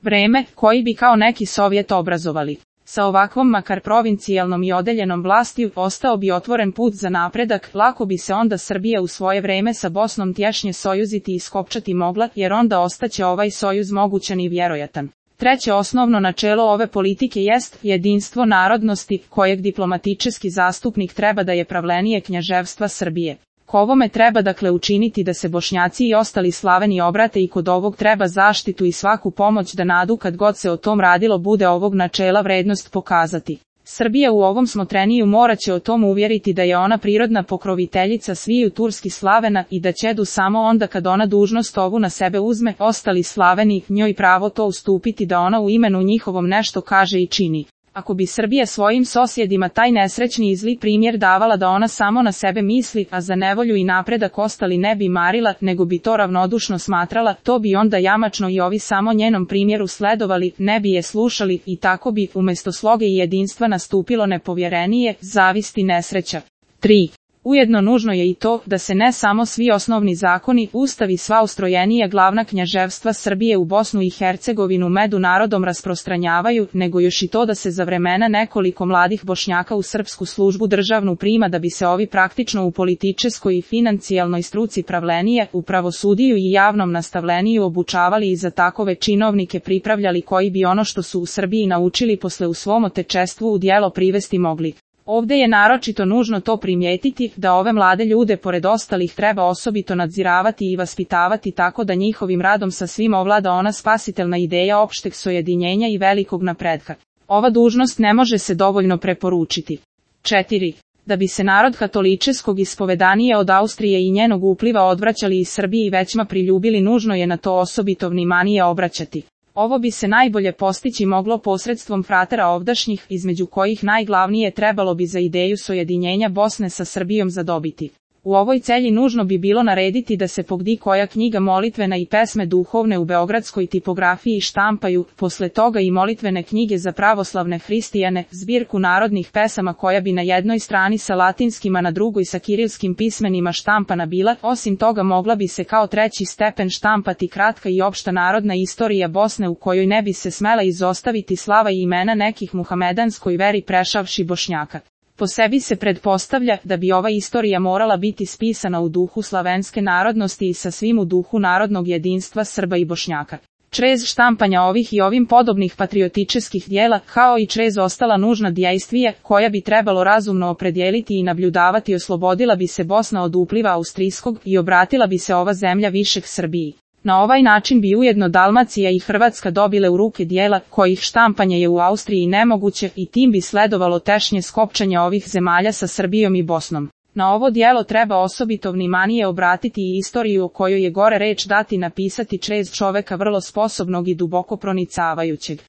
vreme, koji bi kao neki Sovjet obrazovali. Sa ovakvom makar provincijalnom i odeljenom vlastiju ostao bi otvoren put za napredak, lako bi se onda Srbija u svoje vreme sa Bosnom tješnje sojuziti i skopčati mogla, jer onda ostaće ovaj sojuz mogućan i vjerojatan. Treće osnovno načelo ove politike jest jedinstvo narodnosti, kojeg diplomatički zastupnik treba da je pravlenije knjaževstva Srbije. Ko ovome treba dakle učiniti da se Bošnjaci i ostali Slaveni obrate i kod ovog treba zaštitu i svaku pomoć da nadu kad god se o tom radilo bude ovog načela vrednost pokazati. Srbija u ovom smotreniju moraće o tom uvjeriti da je ona prirodna pokroviteljica sviju turskih Slavena i da će samo onda kad ona dužnost ovu na sebe uzme, ostali Slaveni njoj pravo to ustupiti da ona u imenu njihovom nešto kaže i čini. Ako bi Srbija svojim sosjedima taj nesrećni i zli primjer davala da ona samo na sebe misli, a za nevolju i napredak ostali ne bi marila, nego bi to ravnodušno smatrala, to bi onda jamačno i ovi samo njenom primjeru sledovali, ne bi je slušali i tako bi umjesto sloge i jedinstva nastupilo nepovjerenije, zavisti, nesreća. 3. Ujedno nužno je i to da se ne samo svi osnovni zakoni, ustavi sva ustrojenija glavna knjaževstva Srbije u Bosnu i Hercegovinu među narodom rasprostranjavaju, nego još i to da se za vremena nekoliko mladih Bošnjaka u srpsku službu državnu prima da bi se ovi praktično u političkoj i financijalnoj struci pravlenije, u pravosudiju i javnom nastavleniju obučavali i za takove činovnike pripravljali koji bi ono što su u Srbiji naučili posle u svom otečestvu u djelo privesti mogli. Ovdje je naročito nužno to primijetiti, da ove mlade ljude pored ostalih treba osobito nadziravati i vaspitavati tako da njihovim radom sa svim ovlada ona spasitelna ideja opšteg sojedinjenja i velikog napretka. Ova dužnost ne može se dovoljno preporučiti. 4. Da bi se narod katoličeskog ispovedanije od Austrije i njenog upliva odvraćali iz Srbije i većma priljubili, nužno je na to osobito vnimanije obraćati. Ovo bi se najbolje postići moglo posredstvom fratera ovdašnjih, između kojih najglavnije trebalo bi za ideju sojedinjenja Bosne sa Srbijom zadobiti. U ovoj celji nužno bi bilo narediti da se pogdi koja knjiga molitvena i pesme duhovne u beogradskoj tipografiji štampaju, posle toga i molitvene knjige za pravoslavne hristijane, zbirku narodnih pesama koja bi na jednoj strani sa latinskim a na drugoj sa kirilskim pismenima štampana bila, osim toga mogla bi se kao treći stepen štampati kratka i opšta narodna istorija Bosne u kojoj ne bi se smela izostaviti slava i imena nekih muhamedanskoj veri prešavši Bošnjaka. Po sebi se pretpostavlja da bi ova istorija morala biti spisana u duhu slavenske narodnosti i sa svim u duhu narodnog jedinstva Srba i Bošnjaka. Črez štampanja ovih i ovim podobnih patriotičkih dijela, kao i črez ostala nužna djejstvija, koja bi trebalo razumno opredijeliti i nabljudavati, oslobodila bi se Bosna od upliva austrijskog i obratila bi se ova zemlja višeg Srbiji. Na ovaj način bi ujedno Dalmacija i Hrvatska dobile u ruke dijela, kojih štampanje je u Austriji nemoguće i tim bi sledovalo tešnje skopčanje ovih zemalja sa Srbijom i Bosnom. Na ovo dijelo treba osobito vnimanije obratiti i istoriju o kojoj je gore reč dati napisati črez čoveka vrlo sposobnog i duboko pronicavajućeg.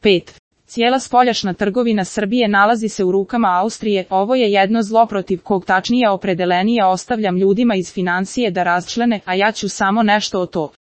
5. Cijela spoljašna trgovina Srbije nalazi se u rukama Austrije, ovo je jedno zlo protiv kog tačnije opredelenije ostavljam ljudima iz financije da razčlene, a ja ću samo nešto o to.